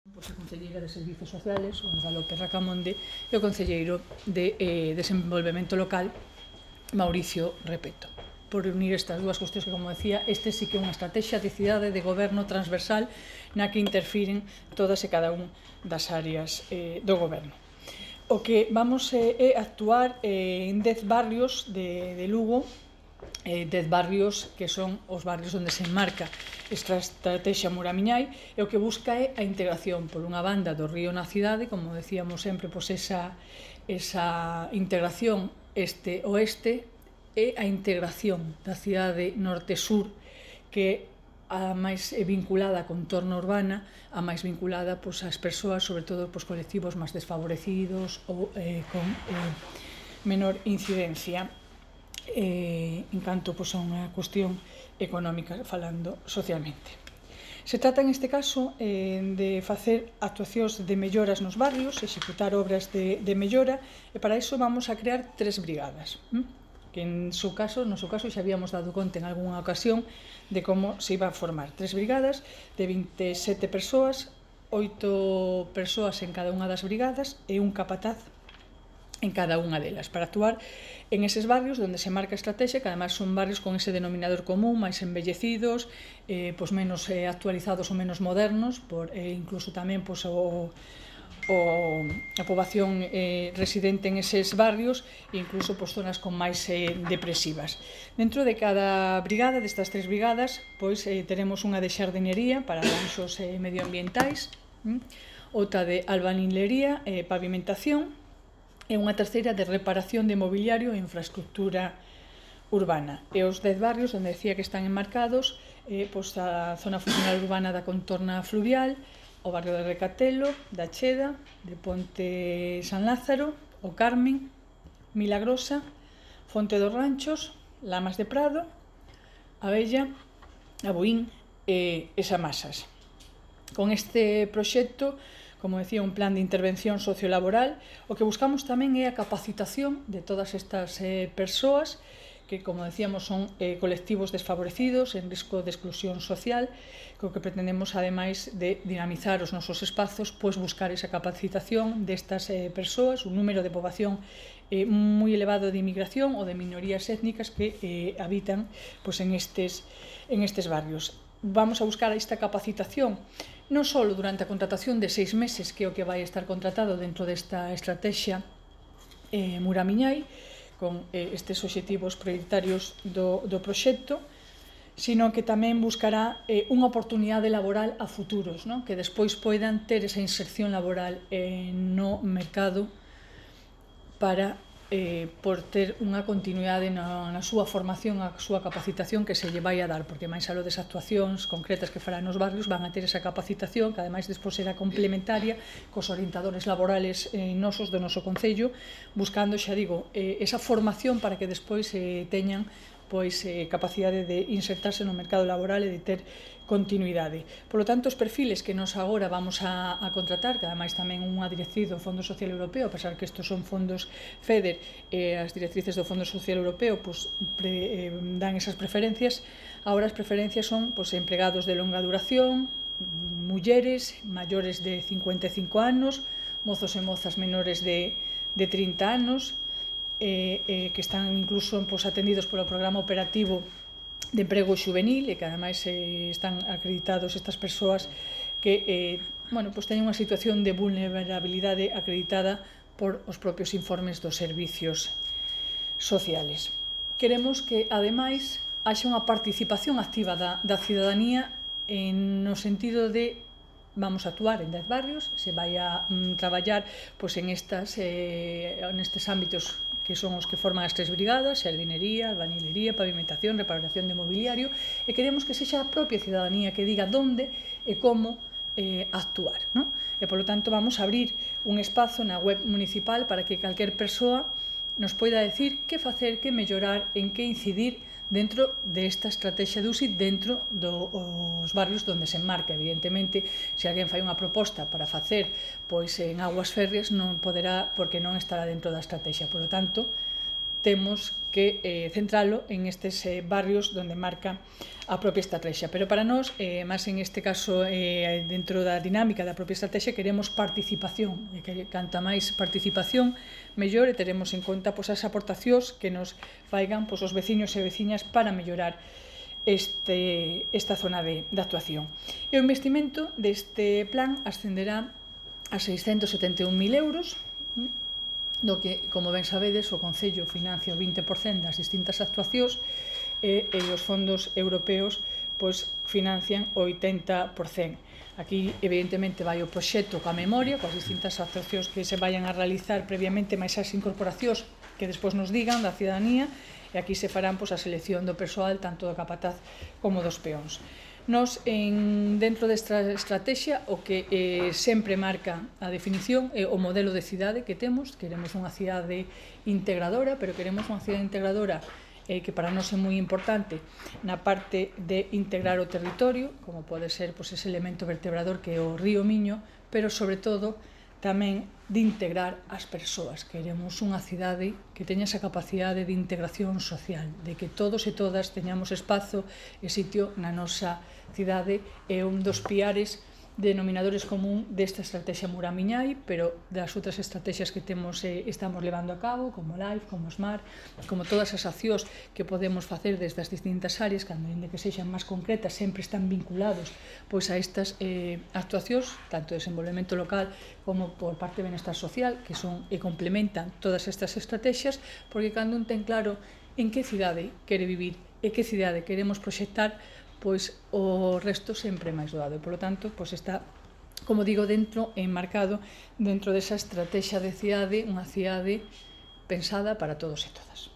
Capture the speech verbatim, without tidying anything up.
Pois a Concelleira de Servizos Sociales, o Gonzalo Perracamonde, e o Concelleiro de eh, Desenvolvemento Local, Mauricio Repeto. Por unir estas dúas cuestións que, como decía, este sí que é unha estrategia de cidade de goberno transversal na que interfiren todas e cada un das áreas eh, do goberno. O que vamos eh, é actuar eh, en dez barrios de, de Lugo, eh, dez barrios que son os barrios onde se enmarca esta estrategia Muramiñai, e o que busca é a integración, por unha banda, do río na cidade, como decíamos sempre, pois esa, esa integración este-oeste, e a integración da cidade norte-sur, que a máis vinculada á contorna urbana, a máis vinculada pois, ás persoas, sobre todo pois, colectivos máis desfavorecidos ou eh, con eh, menor incidencia eh, en canto pois, a unha cuestión económica, falando socialmente. Se trata, en este caso, eh, de facer actuacións de melloras nos barrios, executar obras de, de mellora, e para iso vamos a crear tres brigadas, hm? que en seu caso, no seu caso xa habíamos dado conta en algunha ocasión de como se iba a formar. Tres brigadas de vinte e sete persoas, oito persoas en cada unha das brigadas e un capataz en cada unha delas, para actuar en eses barrios onde se marca a estrategia, que además son barrios con ese denominador común, máis embellecidos, eh, pois menos eh, actualizados ou menos modernos, por eh, incluso tamén pois, o, o, a poboación eh, residente en eses barrios, e incluso pois, zonas con máis eh, depresivas. Dentro de cada brigada, destas tres brigadas, pois eh, teremos unha de xardinería para usos eh, medioambientais, hm? outra de albanilería e eh, pavimentación, e unha terceira de reparación de mobiliario e infraestructura urbana. E os dez barrios onde decía que están enmarcados, eh, pois a zona funcional urbana da contorna fluvial, o barrio de Recatelo, da Cheda, de Ponte San Lázaro, o Carmen, Milagrosa, Fonte dos Ranchos, Lamas de Prado, Abella, Aboín e Esamasas. Con este proxecto, como decía, un plan de intervención sociolaboral, o que buscamos tamén é a capacitación de todas estas eh, persoas que, como decíamos, son eh, colectivos desfavorecidos, en risco de exclusión social, co que pretendemos, ademais de dinamizar os nosos espazos, pois buscar esa capacitación destas eh, persoas, un número de poboación eh, moi elevado de inmigración ou de minorías étnicas que eh, habitan pois, en, estes, en estes barrios. Vamos a buscar esta capacitación non só durante a contratación de seis meses, que é o que vai estar contratado dentro desta estrategia eh, Muramiñai, con eh, estes obxectivos prioritarios do, do proxecto, sino que tamén buscará eh, unha oportunidade laboral a futuros, non? Que despois poidan ter esa inserción laboral eh, no mercado para eh, por ter unha continuidade na, na súa formación, a súa capacitación que se lle vai a dar, porque máis aló das actuacións concretas que farán nos barrios van a ter esa capacitación que ademais despois será complementaria cos orientadores laborales eh, nosos do noso concello, buscando, xa digo, eh, esa formación para que despois eh, teñan pois eh, capacidade de insertarse no mercado laboral e de ter continuidade. Por lo tanto, os perfiles que nos agora vamos a, a contratar, que ademais tamén unha directriz do Fondo Social Europeo, a pesar que estes son fondos FEDER, eh, as directrices do Fondo Social Europeo pues, pre, eh, dan esas preferencias. Agora as preferencias son pues, empregados de longa duración, mulleres maiores de cincuenta e cinco anos, mozos e mozas menores de, de trinta anos, eh, eh, que están incluso pues, atendidos polo programa operativo de emprego xuvenil e que ademais eh, están acreditados estas persoas que eh, bueno, pues, teñen unha situación de vulnerabilidade acreditada por os propios informes dos servicios sociales. Queremos que, ademais, haxa unha participación activa da, da cidadanía en, no sentido de vamos a actuar en dez barrios, se vai a mm, traballar pues, en estas, eh, nestes ámbitos que son os que forman as tres brigadas, xardinería, albanilería, pavimentación, reparación de mobiliario, e queremos que sexa a propia cidadanía que diga donde e como eh, actuar, ¿no? E, polo tanto, vamos a abrir un espazo na web municipal para que calquer persoa nos poida decir que facer, que mellorar, en que incidir dentro desta estrategia de U S I dentro dos barrios onde se enmarca. Evidentemente, se alguén fai unha proposta para facer pois en aguas férreas non poderá, porque non estará dentro da estrategia. Por lo tanto, temos que eh, centralo en estes eh, barrios donde marca a propia estrategia. Pero para nós, eh, máis en este caso, eh, dentro da dinámica da propia estrategia, queremos participación. E que canta máis participación, mellor, e teremos en conta pois, as aportacións que nos faigan pois, os veciños e veciñas para mellorar este, esta zona de, de actuación. E o investimento deste plan ascenderá a seiscentos setenta e un mil euros, do que, como ben sabedes, o Concello financia o vinte por cento das distintas actuacións e, e os fondos europeos pois, financian o oitenta por cento. Aquí, evidentemente, vai o proxecto coa memoria, coas distintas actuacións que se vayan a realizar previamente, máis as incorporacións que despois nos digan da cidadanía, e aquí se farán pois, a selección do persoal, tanto do capataz como dos peóns. Nos, en, dentro desta estrategia, o que eh, sempre marca a definición é o modelo de cidade que temos. Queremos unha cidade integradora, pero queremos unha cidade integradora eh, que para nós é moi importante na parte de integrar o territorio, como pode ser pois, ese elemento vertebrador que é o río Miño, pero sobre todo tamén de integrar as persoas. Queremos unha cidade que teña esa capacidade de integración social, de que todos e todas teñamos espazo e sitio na nosa cidade. É un dos piares denominadores común desta estrategia Muramiñai, pero das outras estrategias que temos eh, estamos levando a cabo, como LIFE, como SMART, como todas as accións que podemos facer desde as distintas áreas, cando ainda que sexan máis concretas, sempre están vinculados pois, a estas eh, actuacións, tanto de desenvolvemento local como por parte de benestar social, que son e complementan todas estas estrategias, porque cando un ten claro en que cidade quere vivir e que cidade queremos proxectar, pois o resto sempre é máis doado. E, polo tanto, pois está, como digo, dentro, enmarcado dentro desa estrategia de cidade, unha cidade pensada para todos e todas.